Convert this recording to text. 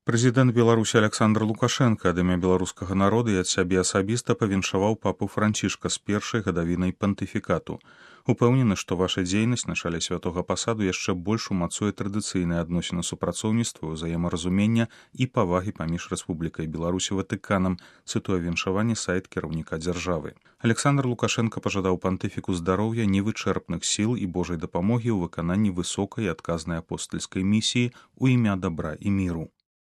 Прэзідэнт Беларусі Аляксандр Лукашенка ад імя беларускага народа і ад сябе асабіста павіншаваў папу Францішка з першай гадавінай пантыфікату. Упэўнены, што ваша дзейнасць на чале святога пасаду яшчэ больш умацуе традыцыйныя адносіны супрацоўніцтва, узаемаразумення і павагі паміж Рэспублікай Беларусь і Ватыканам, цытуе віншаванне сайт кіраўніка дзяржавы. Аляксандр Лукашенка пажадаў пантыфіку здароўя, невычэрпных сіл і Божай дапамогі ў выкананні высокай і адказнай апостальскай місіі ў імя дабра і міру.